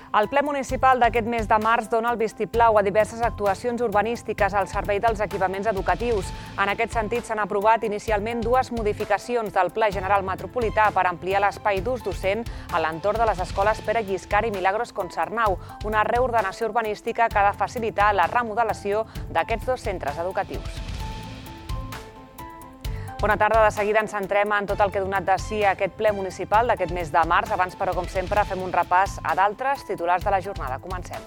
El ple municipal d'aquest mes de març dona el vistiplau a diverses actuacions urbanístiques al servei dels equipaments educatius. En aquest sentit, s'han aprovat inicialment dues modificacions del Pla General Metropolità per ampliar l'espai d'ús docent a l'entorn de les escoles Pere Lliscar i Milagros Concernau, una reordenació urbanística que ha de facilitar la remodelació d'aquests dos centres educatius. Bona tarda, de seguida ens centrem en tot el que ha donat de si aquest ple municipal d'aquest mes de març. Abans, però, com sempre, fem un repàs a d'altres titulars de la jornada. Comencem.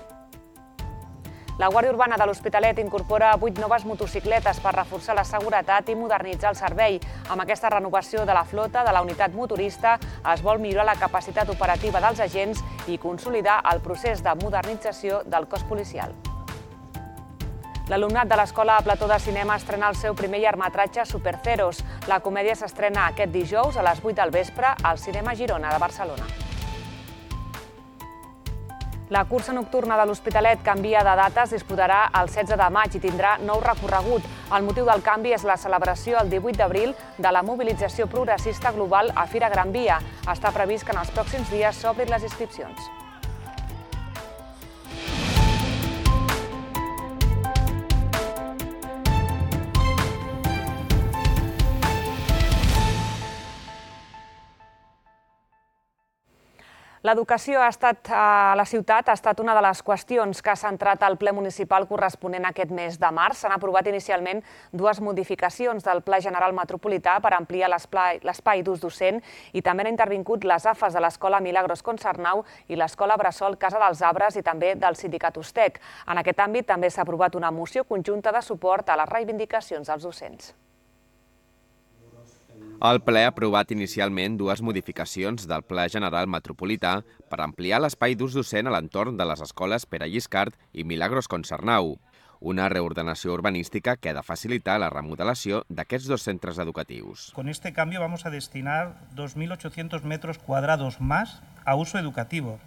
La Guàrdia Urbana de l'Hospitalet incorpora 8 noves motocicletes per reforçar la seguretat i modernitzar el servei. Amb aquesta renovació de la flota de la unitat motorista es vol millorar la capacitat operativa dels agents i consolidar el procés de modernització del cos policial. L'alumnat de l'Escola Plató de Cinema estrena el seu primer llargmetratge Superceros. La comèdia s'estrena aquest dijous a les 8 del vespre al Cinema Girona de Barcelona. La cursa nocturna de l'Hospitalet canvia de data, es disputarà el 16 de maig i tindrà nou recorregut. El motiu del canvi és la celebració el 18 d'abril de la mobilització progressista global a Fira Gran Via. Està previst que en els pròxims dies s'obrin les inscripcions. L'educació a la ciutat ha estat una de les qüestions que ha centrat el ple municipal corresponent a aquest mes de març. S'han aprovat inicialment dues modificacions del Pla General Metropolità per ampliar l'espai d'ús docent i també han intervingut les AFAs de l'Escola Milagros Concernau i l'Escola Bressol Casa dels Arbres i també del Sindicat Ustec. En aquest àmbit també s'ha aprovat una moció conjunta de suport a les reivindicacions dels docents. El ple ha aprovat inicialment dues modificacions del Pla General Metropolità per ampliar l'espai d'ús docent a l'entorn de les escoles Pere Lliscar i Milagros Concernau, una reordenació urbanística que ha de facilitar la remodelació d'aquests dos centres educatius. Con este cambio vamos a destinar 2.800 metros cuadrados más a uso educativo.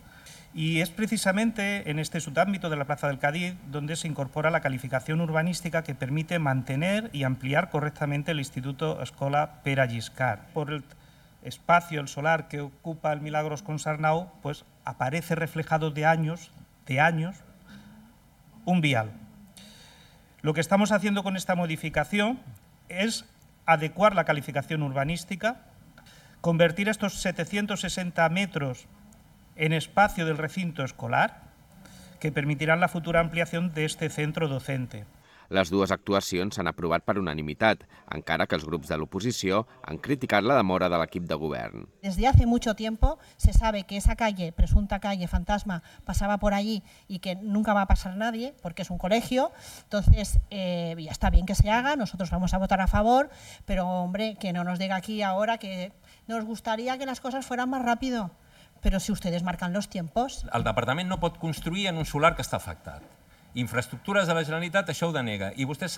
Y es precisamente en este subámbito de la Plaza del Cadí donde se incorpora la calificación urbanística que permite mantener y ampliar correctamente el Instituto Escola Pere Lliscar. Por el espacio, el solar que ocupa el Milagros Concernau, pues aparece reflejado de años, un vial. Lo que estamos haciendo con esta modificación es adecuar la calificación urbanística, convertir estos 760 metros en espacio del recinto escolar, que permitirán la futura ampliación de este centro docente. Les dues actuacions s'han aprovat per unanimitat, encara que els grups de l'oposició han criticat la demora de l'equip de govern. Desde hace mucho tiempo se sabe que esa calle, presunta calle fantasma, pasaba por allí y que nunca va a pasar nadie, porque es un colegio. Entonces, ya está bien que se haga, nosotros vamos a votar a favor, pero hombre, que no nos diga aquí ahora que nos gustaría que las cosas fueran más rápido. Però si ustedes marcan los tiempos. El departament no pot construir en un solar que està afectat. Infraestructures de la Generalitat això ho denega. I vostès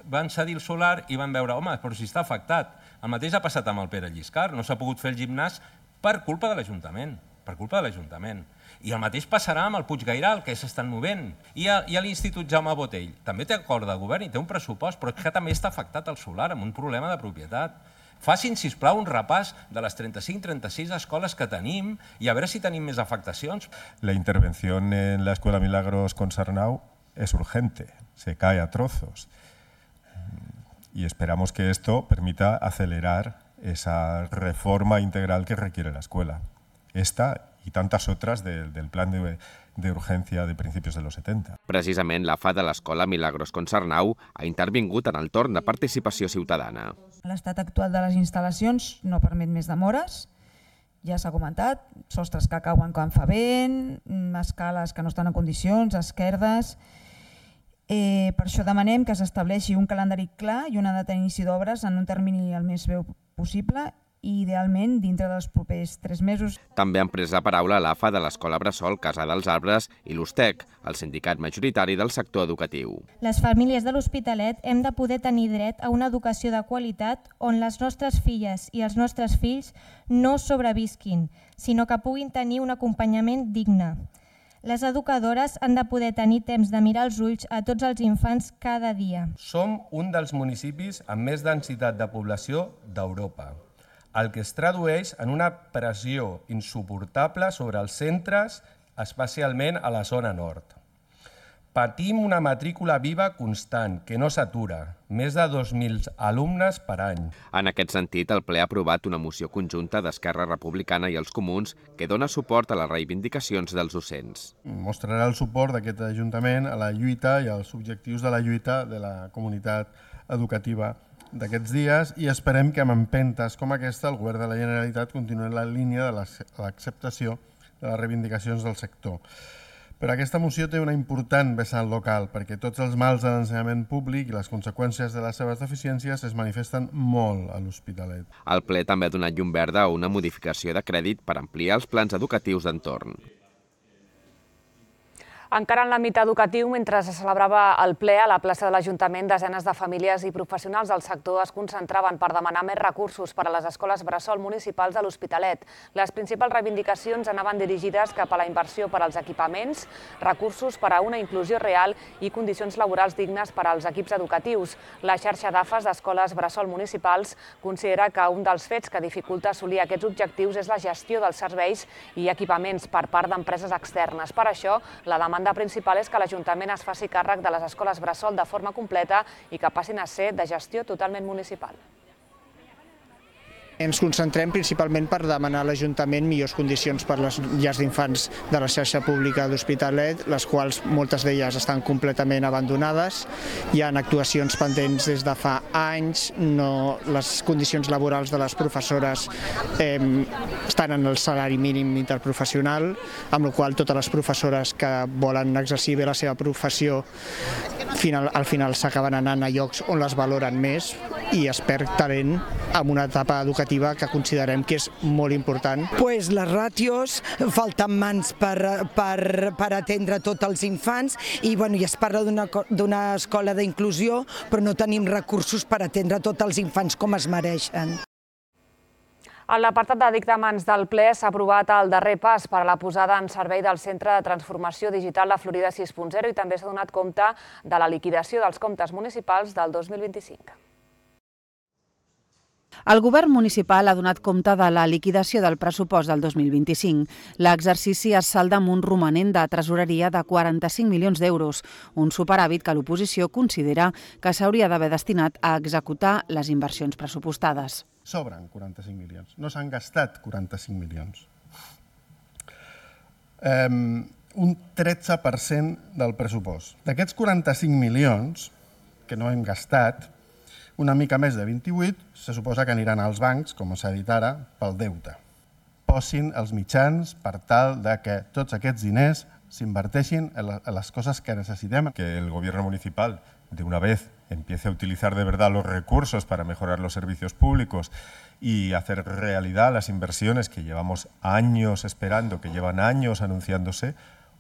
van cedir el solar i van veure, home, però si està afectat. El mateix ha passat amb el Pere Lliscar. No s'ha pogut fer el gimnàs per culpa de l'Ajuntament. Per culpa de l'Ajuntament. I el mateix passarà amb el Puig Gairal, que s'estan movent. I a l'Institut Jaume Botell. També té acord de govern i té un pressupost, però que també està afectat el solar amb un problema de propietat. Facin, sisplau, un repàs de les 35-36 escoles que tenim i a veure si tenim més afectacions. La intervención en la Escuela Milagros Concernau es urgente, se cae a trozos. Y esperamos que esto permita acelerar esa reforma integral que requiere la escuela. Esta y tantas otras del plan de urgència de principis de los 70. Precisament l'AFA de l'Escola Milagros Concernau ha intervingut en el torn de participació ciutadana. L'estat actual de les instal·lacions no permet més demores, ja s'ha comentat, sostres que cauen quan fa vent, escales que no estan en condicions, esquerdes. Per això demanem que s'estableixi un calendari clar i una data d'inici d'obres en un termini el més breu possible i idealment dintre dels propers 3 mesos. També han pres la paraula l'AFA de l'Escola Bressol Casa dels Arbres i l'Ustec, el sindicat majoritari del sector educatiu. Les famílies de l'Hospitalet hem de poder tenir dret a una educació de qualitat on les nostres filles i els nostres fills no sobrevisquin, sinó que puguin tenir un acompanyament digne. Les educadores han de poder tenir temps de mirar els ulls a tots els infants cada dia. Som un dels municipis amb més densitat de població d'Europa, el que es tradueix en una pressió insuportable sobre els centres especialment a la zona nord. Patim una matrícula viva constant, que no s'atura, més de 2.000 alumnes per any. En aquest sentit, el ple ha aprovat una moció conjunta d'Esquerra Republicana i els Comuns que dona suport a les reivindicacions dels docents. Mostrarà el suport d'aquest Ajuntament a la lluita i als objectius de la lluita de la comunitat educativa d'aquests dies i esperem que amb empentes com aquesta el Govern de la Generalitat continuï en la línia de l'acceptació de les reivindicacions del sector. Però aquesta moció té una important vessant local perquè tots els mals de l'ensenyament públic i les conseqüències de les seves deficiències es manifesten molt a l'Hospitalet. El ple també ha donat llum verda a una modificació de crèdit per ampliar els plans educatius d'entorn. Encara en l'àmbit educatiu, mentre se celebrava el ple a la plaça de l'Ajuntament, desenes de famílies i professionals del sector es concentraven per demanar més recursos per a les escoles bressol municipals de l'Hospitalet. Les principals reivindicacions anaven dirigides cap a la inversió per als equipaments, recursos per a una inclusió real i condicions laborals dignes per als equips educatius. La xarxa d'AFES d'escoles bressol municipals considera que un dels fets que dificulta assolir aquests objectius és la gestió dels serveis i equipaments per part d'empreses externes. Per això, la demanda principal és que l'Ajuntament es faci càrrec de les escoles bressol de forma completa i que passin a ser de gestió totalment municipal. Ens concentrem principalment per demanar a l'Ajuntament millors condicions per les llars d'infants de la xarxa pública d'Hospitalet, les quals moltes d'elles estan completament abandonades. Hi ha actuacions pendents des de fa anys, les condicions laborals de les professores estan en el salari mínim interprofessional, amb la qual cosa totes les professores que volen exercir bé la seva professió al final s'acaben anant a llocs on les valoren més i es perd talent en una etapa educativa que considerem que és molt important. Les ràtios, falten mans per atendre tots els infants i es parla d'una escola d'inclusió, però no tenim recursos per atendre tots els infants com es mereixen. En l'apartat de dictàmens del ple s'ha aprovat el darrer pas per a la posada en servei del Centre de Transformació Digital de Florida 6.0 i també s'ha donat compte de la liquidació dels comptes municipals del 2025. El govern municipal ha donat compte de la liquidació del pressupost del 2025. L'exercici es salda amb un romanent de tresoreria de 45 milions d'euros, un superàvit que l'oposició considera que s'hauria d'haver destinat a executar les inversions pressupostades. Sobren 45 milions, no s'han gastat 45 milions. Un 13% del pressupost. D'aquests 45 milions que no hem gastat, una mica més de 28 se suposa que aniran als bancs, com s'ha dit ara, pel deute. Posin els mitjans per tal de que tots aquests diners s'inverteixin en les coses que necessitem. Que el gobierno municipal de una vez empiece a utilizar de verdad los recursos para mejorar los servicios públicos y hacer realidad las inversiones que llevamos años esperando, que llevan años anunciándose,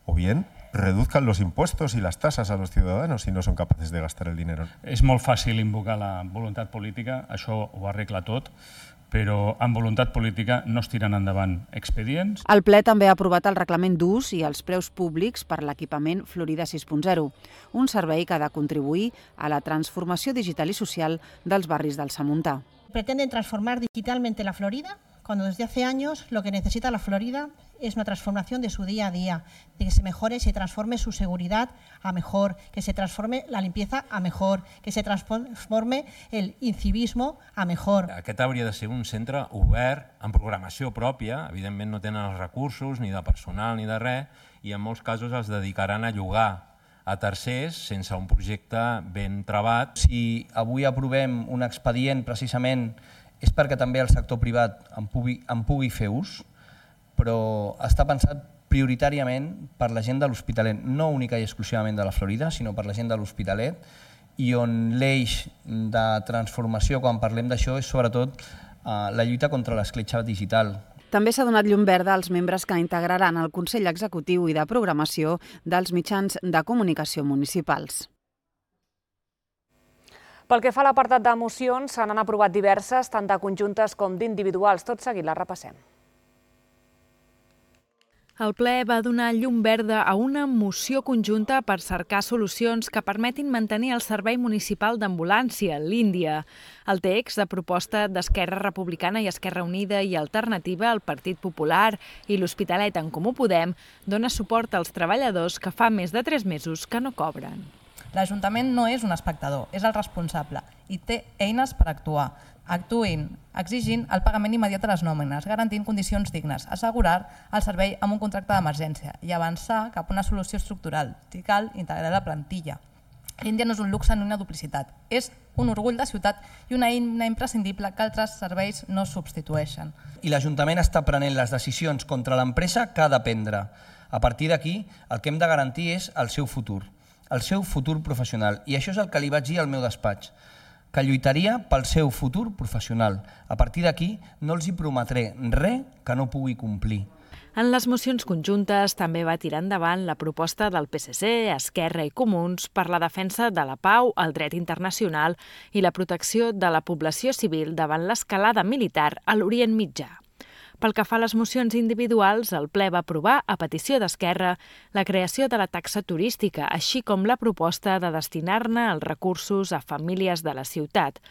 o bien reduzcan los impuestos y las tasas a los ciudadanos si no son capaces de gastar el dinero. És molt fàcil invocar la voluntat política, això ho arregla tot, però amb voluntat política no es tiren endavant expedients. El ple també ha aprovat el reglament d'ús i els preus públics per l'equipament Florida 6.0, un servei que ha de contribuir a la transformació digital i social dels barris del Samuntà. Pretenden transformar digitalmente la Florida, cuando desde hace años lo que necesita la Florida es una transformación de su día a día, de que se mejore, se transforme su seguridad a mejor, que se transforme la limpieza a mejor, que se transforme el incivismo a mejor. Aquest hauria de ser un centre obert, amb programació pròpia, evidentment no tenen els recursos, ni de personal ni de res, i en molts casos es dedicaran a llogar a tercers sense un projecte ben travat. Si avui aprovem un expedient precisament és perquè també el sector privat en pugui fer ús, però està pensat prioritàriament per la gent de l'Hospitalet, no única i exclusivament de la Florida, sinó per la gent de l'Hospitalet, i on l'eix de transformació, quan parlem d'això, és sobretot la lluita contra l'escletxa digital. També s'ha donat llum verda als membres que integraran el Consell Executiu i de Programació dels mitjans de comunicació municipals. Pel que fa a l'apartat de mocions, se n'han aprovat diverses, tant de conjuntes com d'individuals. Tot seguit les repassem. El ple va donar llum verda a una moció conjunta per cercar solucions que permetin mantenir el servei municipal d'ambulància, l'Índia. El text de proposta d'Esquerra Republicana i Esquerra Unida i Alternativa, el Partit Popular i l'Hospitalet en Comú Podem dona suport als treballadors que fa més de 3 mesos que no cobren. L'Ajuntament no és un espectador, és el responsable i té eines per actuar. Actuïn exigint el pagament immediat de les nòmines, garantint condicions dignes, assegurar el servei amb un contracte d'emergència i avançar cap a una solució estructural que cal integrar la plantilla. L'Índia no és un luxe ni una duplicitat, és un orgull de ciutat i una eina imprescindible que altres serveis no substitueixen. I l'Ajuntament està prenent les decisions contra l'empresa que ha de prendre. A partir d'aquí, el que hem de garantir és el seu futur professional. I això és el que li vaig dir al meu despatx, que lluitaria pel seu futur professional. A partir d'aquí no els hi prometré res que no pugui complir. En les mocions conjuntes també va tirar endavant la proposta del PSC, Esquerra i Comuns per la defensa de la pau, el dret internacional i la protecció de la població civil davant l'escalada militar a l'Orient Mitjà. Pel que fa a les mocions individuals, el ple va aprovar, a petició d'Esquerra, la creació de la taxa turística, així com la proposta de destinar-ne els recursos a famílies de la ciutat.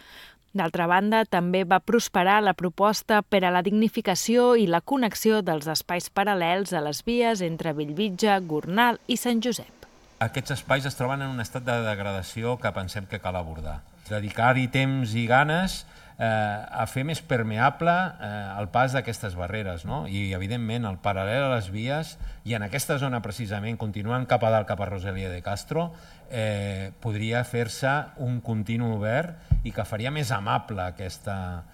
D'altra banda, també va prosperar la proposta per a la dignificació i la connexió dels espais paral·lels a les vies entre Bellvitge, Gornal i Sant Josep. Aquests espais es troben en un estat de degradació que pensem que cal abordar. Dedicar-hi temps i ganes a fer més permeable el pas d'aquestes barreres, no? I, evidentment, el paral·lel a les vies, i en aquesta zona precisament, continuant cap a dalt, cap a Rosalía de Castro, podria fer-se un continu obert i que faria més amable aquesta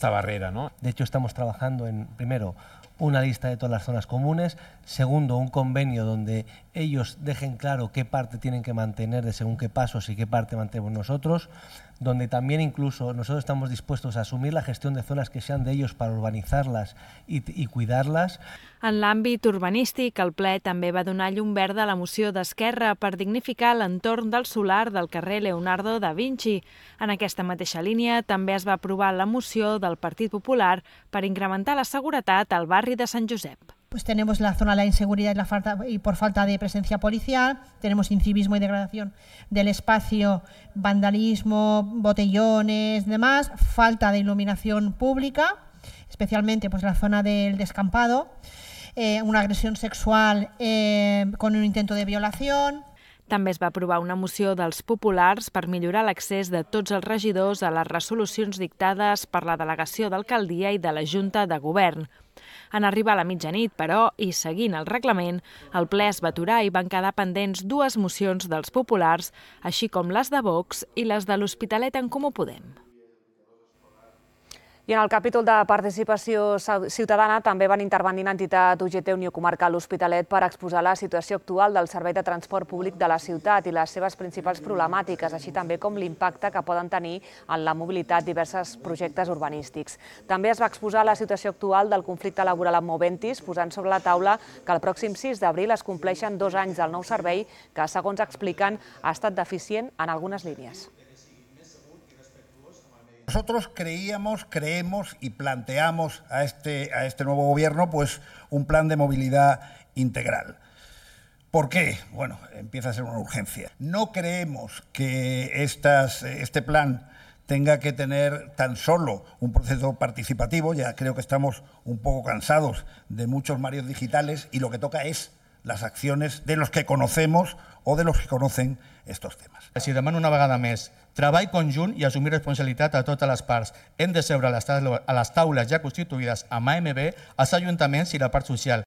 barrera, ¿no? De hecho, estamos trabajando en, primero, una lista de todas las zonas comunes, segundo, un convenio donde ellos dejen claro qué parte tienen que mantener de según qué pasos y qué parte mantenemos nosotros, donde también incluso nosotros estamos dispuestos a asumir la gestión de zonas que sean de ellos para urbanizarlas y cuidarlas. En l'àmbit urbanístic, el ple també va donar llum verda a la moció d'Esquerra per dignificar l'entorn del solar del carrer Leonardo da Vinci. En aquesta mateixa línia també es va aprovar la moció del Partit Popular per incrementar la seguretat al barri de Sant Josep. Pues tenemos la zona de la inseguridad y por falta de presencia policial, tenemos incivismo y degradación del espacio, vandalismo, botellones, demás, falta de iluminación pública, especialmente pues la zona del descampado, una agresión sexual con un intento de violación. També es va aprovar una moció dels populars per millorar l'accés de tots els regidors a les resolucions dictades per la delegació d'alcaldia i de la Junta de Govern. En arribar a la mitjanit, però, i seguint el reglament, el ple es va aturar i van quedar pendents 2 mocions dels populars, així com les de Vox i les de l'Hospitalet en Comú Podem. I en el capítol de participació ciutadana també van intervenir entitat UGT Unió Comarcal L'Hospitalet per exposar la situació actual del servei de transport públic de la ciutat i les seves principals problemàtiques, així també com l'impacte que poden tenir en la mobilitat diversos projectes urbanístics. També es va exposar la situació actual del conflicte laboral amb Moventis, posant sobre la taula que el pròxim 6 d'abril es compleixen 2 anys del nou servei que, segons expliquen, ha estat deficient en algunes línies. Nosotros creemos y planteamos a este nuevo gobierno pues un plan de movilidad integral. ¿Por qué? Bueno, empieza a ser una urgencia. No creemos que este plan tenga que tener tan solo un proceso participativo, ya creo que estamos un poco cansados de muchos mareos digitales y lo que toca es las acciones de los que conocemos o de los que conocen estos temes. Si demano una vegada més treball conjunt i assumir responsabilitat a totes les parts. Hem de seure a les taules ja constituïdes amb AMB, els ajuntaments i la part social.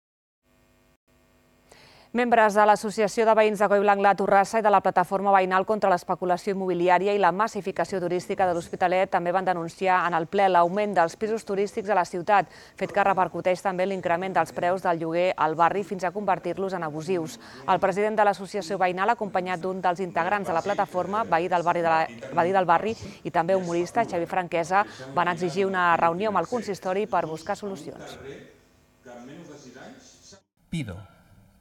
Membres de l'Associació de Veïns de Collblanc la Torrassa i de la Plataforma Veïnal contra l'Especulació Immobiliària i la Massificació Turística de l'Hospitalet també van denunciar en el ple l'augment dels pisos turístics a la ciutat, fet que repercuteix també l'increment dels preus del lloguer al barri fins a convertir-los en abusius. El president de l'Associació Veïnal, acompanyat d'un dels integrants de la plataforma, veí del barri i també humorista, Xavi Franquesa, van exigir una reunió amb el consistori per buscar solucions. Pido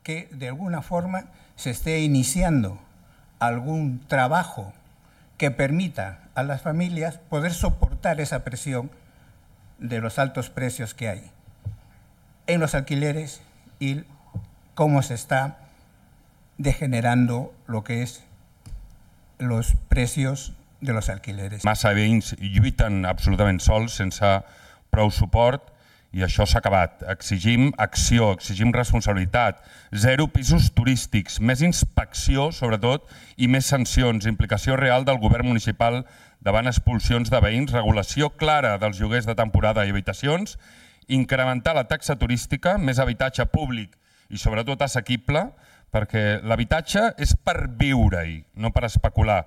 que de alguna forma se esté iniciando algún trabajo que permita a las familias poder soportar esa presión de los altos precios que hay en los alquileres y cómo se está degenerando lo que es los precios de los alquileres. Massa veïns lluiten absolutament sols, sense prou suport, i això s'ha acabat. Exigim acció, exigim responsabilitat, 0 pisos turístics, més inspecció, sobretot, i més sancions, implicació real del govern municipal davant expulsions de veïns, regulació clara dels lloguers de temporada i habitacions, incrementar la taxa turística, més habitatge públic i sobretot assequible, perquè l'habitatge és per viure-hi, no per especular.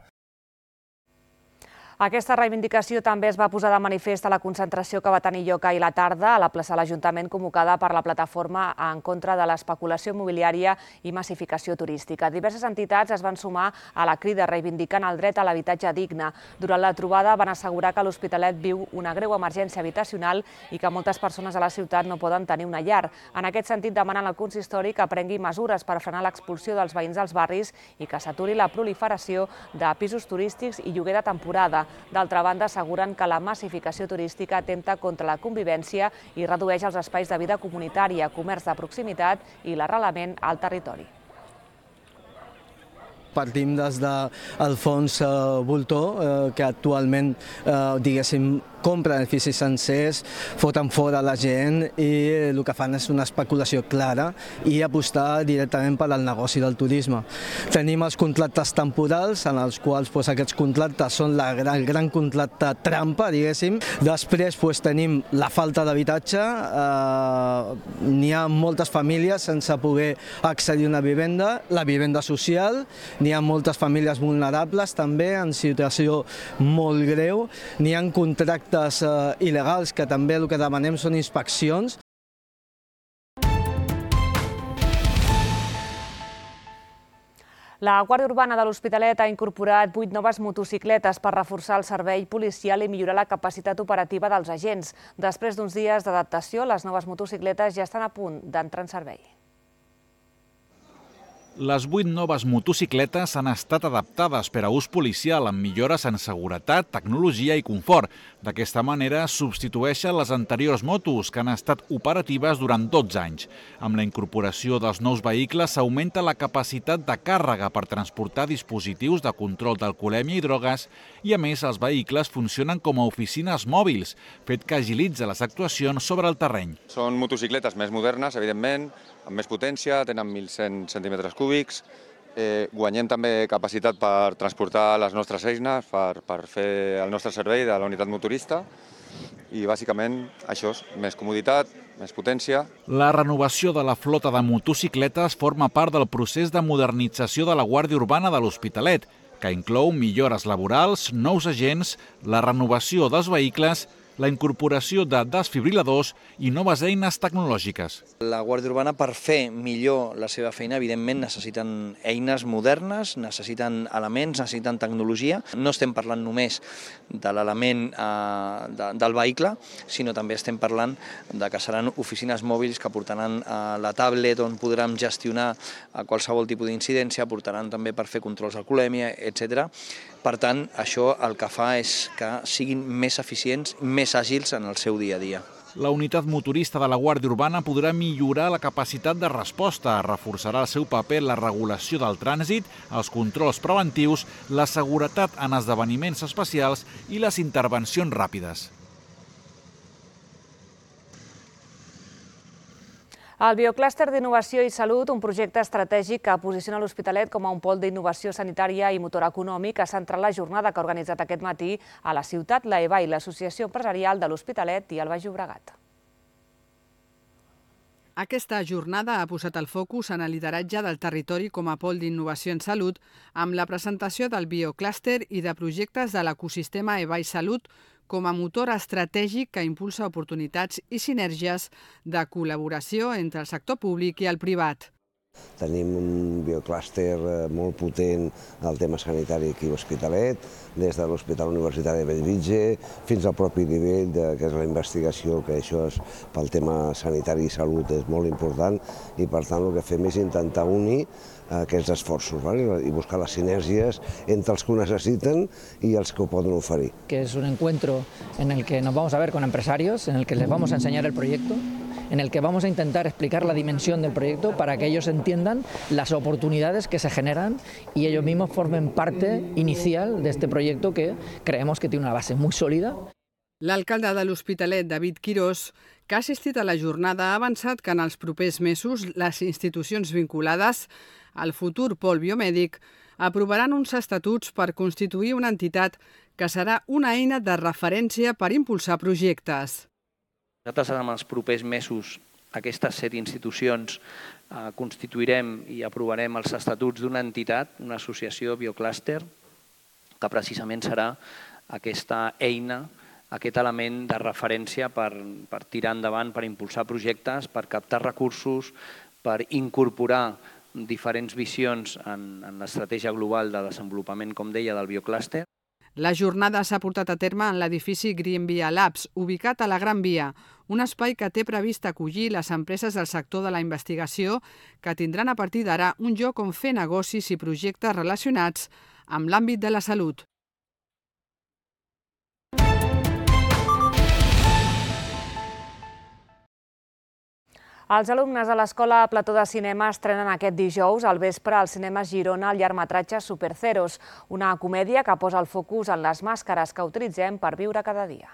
Aquesta reivindicació també es va posar de manifest a la concentració que va tenir lloc ahir a la tarda a la plaça de l'Ajuntament convocada per la plataforma en contra de l'especulació immobiliària i massificació turística. Diverses entitats es van sumar a la crida reivindicant el dret a l'habitatge digne. Durant la trobada van assegurar que l'Hospitalet viu una greu emergència habitacional i que moltes persones a la ciutat no poden tenir una llar. En aquest sentit demanen al consistori que prengui mesures per frenar l'expulsió dels veïns dels barris i que s'aturi la proliferació de pisos turístics i lloguer de temporada. D'altra banda, asseguren que la massificació turística atempta contra la convivència i redueix els espais de vida comunitària, comerç de proximitat i l'arrelament al territori. Partim des del fons Voltor, que actualment, diguéssim, compren edificis sencers, foten fora la gent i el que fan és una especulació clara i apostar directament per al negoci del turisme. Tenim els contractes temporals, en els quals aquests contractes són el gran contracte trampa, diguéssim. Després tenim la falta d'habitatge, n'hi ha moltes famílies sense poder accedir a una vivenda, la vivenda social, n'hi ha moltes famílies vulnerables també en situació molt greu, n'hi ha contractes il·legals que també el que demanem són inspeccions. La Guàrdia Urbana de l'Hospitalet ha incorporat 8 noves motocicletes per reforçar el servei policial i millorar la capacitat operativa dels agents. Després d'uns dies d'adaptació, les noves motocicletes ja estan a punt d'entrar en servei. Les 8 noves motocicletes han estat adaptades per a ús policial amb millores en seguretat, tecnologia i confort. D'aquesta manera substitueixen les anteriors motos que han estat operatives durant 12 anys. Amb la incorporació dels nous vehicles s'augmenta la capacitat de càrrega per transportar dispositius de control d'alcoholèmia i drogues i a més els vehicles funcionen com a oficines mòbils, fet que agilitza les actuacions sobre el terreny. Són motocicletes més modernes, evidentment, amb més potència, tenen 1.100 centímetres cúbics, guanyem també capacitat per transportar les nostres eines, per fer el nostre servei de la unitat motorista i bàsicament això és més comoditat, més potència. La renovació de la flota de motocicletes forma part del procés de modernització de la Guàrdia Urbana de l'Hospitalet, que inclou millores laborals, nous agents, la renovació dels vehicles, la incorporació de desfibriladors i noves eines tecnològiques. La Guàrdia Urbana, per fer millor la seva feina, evidentment necessiten eines modernes, necessiten elements, necessiten tecnologia. No estem parlant només de l'element del vehicle, sinó també estem parlant de que seran oficines mòbils que portaran la tablet on podrem gestionar qualsevol tipus d'incidència, portaran també per fer controls d'alcoholèmia, etc. Per tant, això el que fa és que siguin més eficients, més àgils en el seu dia a dia. La unitat motorista de la Guàrdia Urbana podrà millorar la capacitat de resposta, reforçarà el seu paper en la regulació del trànsit, els controls preventius, la seguretat en esdeveniments especials i les intervencions ràpides. El Bioclúster d'Innovació i Salut, un projecte estratègic que posiciona l'Hospitalet com a un pol d'innovació sanitària i motor econòmic, ha centrat la jornada que ha organitzat aquest matí a la ciutat la EVA i l'Associació Empresarial de l'Hospitalet i el Baix Llobregat. Aquesta jornada ha posat el focus en el lideratge del territori com a pol d'innovació en salut amb la presentació del Bioclúster i de projectes de l'ecosistema EVA i Salut com a motor estratègic que impulsa oportunitats i sinergies de col·laboració entre el sector públic i el privat. Tenim un bioclúster molt potent del tema sanitari aquí a l'Hospitalet, des de l'Hospital Universitari de Bellvitge fins al propi nivell que és la investigació, que això és pel tema sanitari i salut és molt important i per tant el que fem és intentar unir aquests esforços i buscar les sinergies entre els que ho necesiten i els que ho poden oferir. Que es un encuentro en el que nos vamos a ver con empresarios, en el que les vamos a enseñar el proyecto en el que vamos a intentar explicar la dimensión del proyecto para que ellos entiendan las oportunidades que se generan y ellos mismos formen parte inicial de este proyecto que creemos que tiene una base muy sólida. L'alcalde de l'Hospitalet, David Quirós, que ha assistit a la jornada, ha avançat que en els propers mesos les institucions vinculades al futur pol biomèdic aprovaran uns estatuts per constituir una entitat que serà una eina de referència per impulsar projectes. Nosaltres en els propers mesos aquestes 7 institucions constituirem i aprovarem els estatuts d'una entitat, una associació bioclúster, que precisament serà aquesta eina, aquest element de referència per tirar endavant, per impulsar projectes, per captar recursos, per incorporar diferents visions en l'estratègia global de desenvolupament, com deia, del bioclúster. La jornada s'ha portat a terme en l'edifici Green Via Labs, ubicat a la Gran Via, un espai que té previst acollir les empreses del sector de la investigació que tindran a partir d'ara un lloc on fer negocis i projectes relacionats amb l'àmbit de la salut. Els alumnes de l'Escola Plató de Cinema estrenen aquest dijous al vespre al Cinema Girona el llargmetratge Superceros, una comèdia que posa el focus en les màscares que utilitzem per viure cada dia.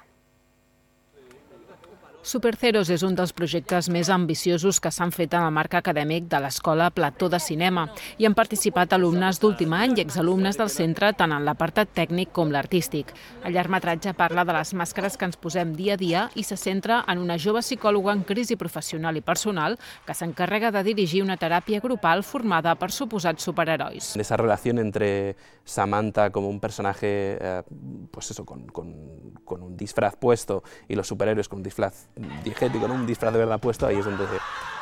Superceros és un dels projectes més ambiciosos que s'han fet en el marc acadèmic de l'Escola Plató de Cinema. Hi han participat alumnes d'últim any i exalumnes del centre tant en l'apartat tècnic com l'artístic. El llargmetratge parla de les màscares que ens posem dia a dia i se centra en una jove psicòloga en crisi professional i personal que s'encarrega de dirigir una teràpia grupal formada per suposats superherois. Esa relación entre Samantha como un personaje pues eso, con un disfraz puesto y los superhéroes con un disfraz diegético, ¿no? Un disfraz de verdad puesto, ahí es donde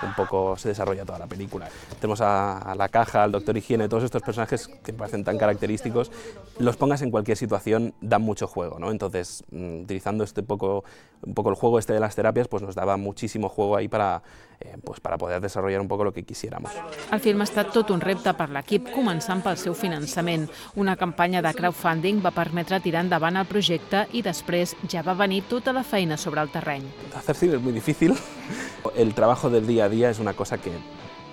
un poco se desarrolla toda la película. Tenemos a la Caja, al Doctor Higiene, todos estos personajes que me parecen tan característicos, los pongas en cualquier situación, dan mucho juego, ¿no? Entonces, utilizando un poco el juego de las terapias, pues nos daba muchísimo juego ahí para poder desarrollar un poco lo que quisiéramos. El film ha estat tot un repte per l'equip, començant pel seu finançament. Una campanya de crowdfunding va permetre tirar endavant el projecte i després ja va venir tota la feina sobre el terreny. Hacer cine es muy difícil. El trabajo del día a día es una cosa que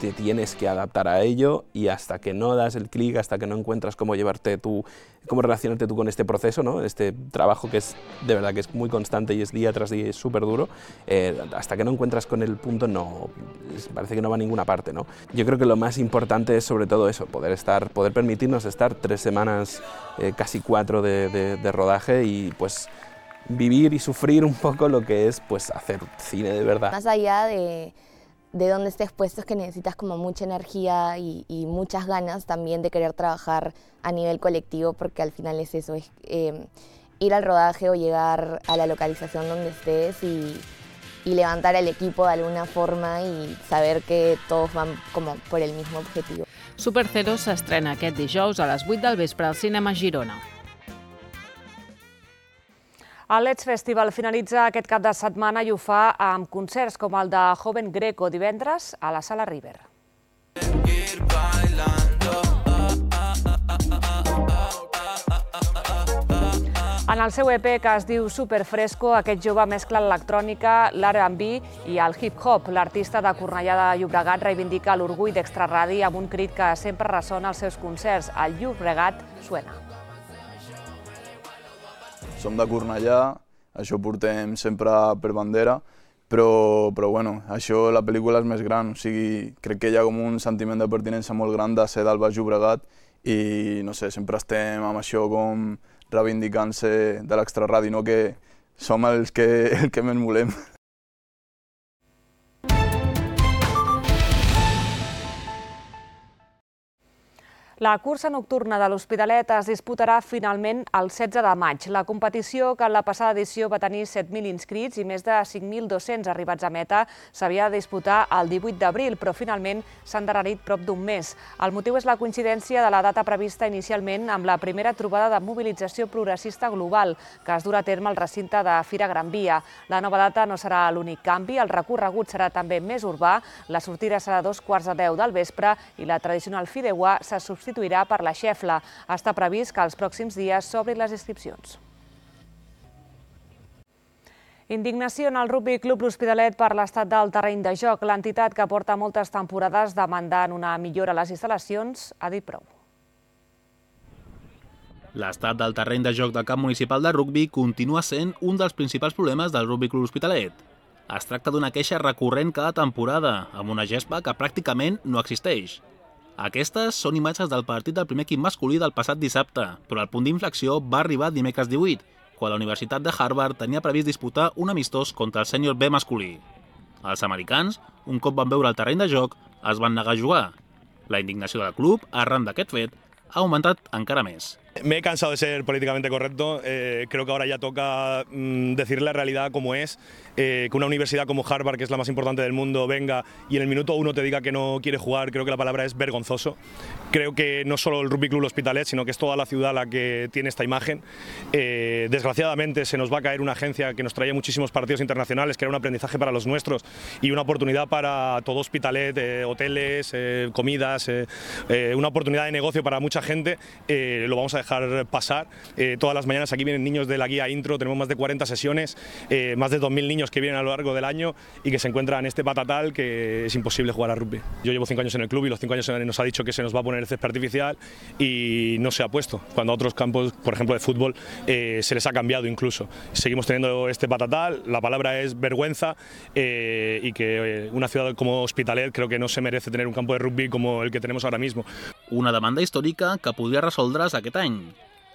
te tienes que adaptar a ello y hasta que no das el clic, hasta que no encuentras cómo relacionarte tú con este proceso, ¿no? Este trabajo que es de verdad que es muy constante y es día tras día y es súper duro, hasta que no encuentras con el punto parece que no va a ninguna parte, ¿no? Yo creo que lo más importante es sobre todo eso, poder permitirnos estar 3 semanas, casi 4 de rodaje y pues vivir y sufrir un poco lo que es pues hacer cine de verdad. Más allá de dónde estés puesto es que necesitas como mucha energía y muchas ganas también de querer trabajar a nivel colectivo, porque al final es eso, es ir al rodaje o llegar a la localización donde estés y levantar al equipo de alguna forma y saber que todos van como por el mismo objetivo. Superceros s'estrena aquest dijous a les 8 del vespre al Cinema Girona. El Let's Festival finalitza aquest cap de setmana i ho fa amb concerts com el de Joven Greco divendres a la Sala River. En el seu EP, que es diu Superfresco, aquest jove mescla l'electrònica, l'R&B i el hip-hop. L'artista de Cornellà de Llobregat reivindica l'orgull d'Extraradi amb un crit que sempre ressona als seus concerts. El Llobregat suena. Som de Cornellà, això ho portem sempre per bandera, però bueno, això, la pel·lícula és més gran, o sigui, crec que hi ha com un sentiment de pertinença molt gran de ser del Baix Llobregat i, no sé, sempre estem amb això com reivindicant-se de l'extraradi, no? Que som els que més volem. La cursa nocturna de l'Hospitalet es disputarà finalment el 16 de maig. La competició, que en la passada edició va tenir 7.000 inscrits i més de 5.200 arribats a meta, s'havia de disputar el 18 d'abril, però finalment s'ha endarrerit prop d'un mes. El motiu és la coincidència de la data prevista inicialment amb la primera trobada de mobilització progressista global, que es durà a terme al recinte de Fira Gran Via. La nova data no serà l'únic canvi, el recorregut serà també més urbà, la sortida serà a 2:15 del vespre i la tradicional fideuà se substituirà per la xefla. Està previst que els pròxims dies s'obrin les inscripcions. Indignació en el Rugby Club L'Hospitalet per l'estat del terreny de joc. L'entitat, que porta moltes temporades demandant una millora a les instal·lacions, ha dit prou. L'estat del terreny de joc del camp municipal de rugbi continua sent un dels principals problemes del Rugby Club L'Hospitalet. Es tracta d'una queixa recurrent cada temporada, amb una gespa que pràcticament no existeix. Aquestes són imatges del partit del primer equip masculí del passat dissabte, però el punt d'inflexió va arribar dimecres 18, quan la Universitat de Harvard tenia previst disputar un amistós contra el sènior B masculí. Els americans, un cop van veure el terreny de joc, es van negar a jugar. La indignació del club, arran d'aquest fet, ha augmentat encara més. Me he cansado de ser políticamente correcto, creo que ahora ya toca decir la realidad como es, que una universidad como Harvard, que es la más importante del mundo, venga y en el minuto 1 te diga que no quiere jugar, creo que la palabra es vergonzoso. Creo que no solo el Rugby Club L'Hospitalet, sino que es toda la ciudad la que tiene esta imagen. Desgraciadamente se nos va a caer una agencia que nos traía muchísimos partidos internacionales, que era un aprendizaje para los nuestros y una oportunidad para todo Hospitalet, hoteles, comidas, una oportunidad de negocio para mucha gente. Lo vamos a dejar pasar. Todas las mañanas aquí vienen niños de la guía intro, tenemos más de 40 sesiones, más de 2.000 niños que vienen a lo largo del año y que se encuentran en este patatal que es imposible jugar a rugby. Yo llevo 5 años en el club y los 5 años nos ha dicho que se nos va a poner el césped artificial y no se ha puesto, cuando a otros campos, por ejemplo de fútbol, se les ha cambiado incluso. Seguimos teniendo este patatal, la palabra es vergüenza y que una ciudad como Hospitalet creo que no se merece tener un campo de rugby como el que tenemos ahora mismo. Una demanda històrica que podria resoldre's aquest any.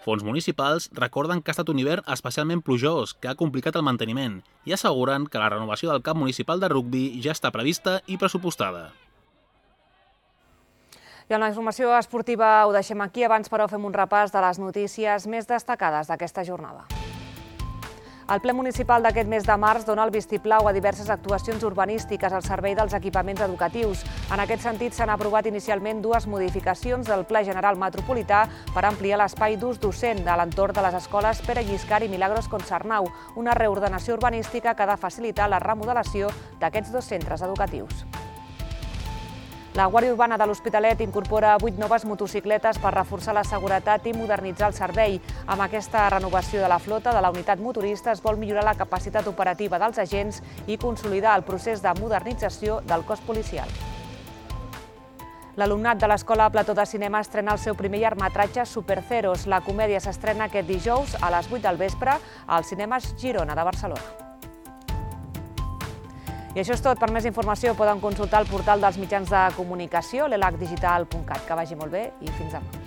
Fons municipals recorden que ha estat un hivern especialment plujós, que ha complicat el manteniment, i asseguren que la renovació del camp municipal de rugbi ja està prevista i pressupostada. I amb la informació esportiva ho deixem aquí. Abans, però, fem un repàs de les notícies més destacades d'aquesta jornada. El ple municipal d'aquest mes de març dona el vistiplau a diverses actuacions urbanístiques al servei dels equipaments educatius. En aquest sentit, s'han aprovat inicialment 2 modificacions del Pla General Metropolità per ampliar l'espai d'ús docent de l'entorn de les escoles Pere Lliscar i Milagros Contsarnau, una reordenació urbanística que ha de facilitar la remodelació d'aquests 2 centres educatius. La Guàrdia Urbana de l'Hospitalet incorpora 8 noves motocicletes per reforçar la seguretat i modernitzar el servei. Amb aquesta renovació de la flota de la unitat motorista es vol millorar la capacitat operativa dels agents i consolidar el procés de modernització del cos policial. L'alumnat de l'Escola Plató de Cinema estrena el seu primer llargmetratge Superceros. La comèdia s'estrena aquest dijous a les 8 del vespre als cinemes Girona de Barcelona. I això és tot. Per més informació poden consultar el portal dels mitjans de comunicació, l'elacdigital.cat. Que vagi molt bé i fins demà.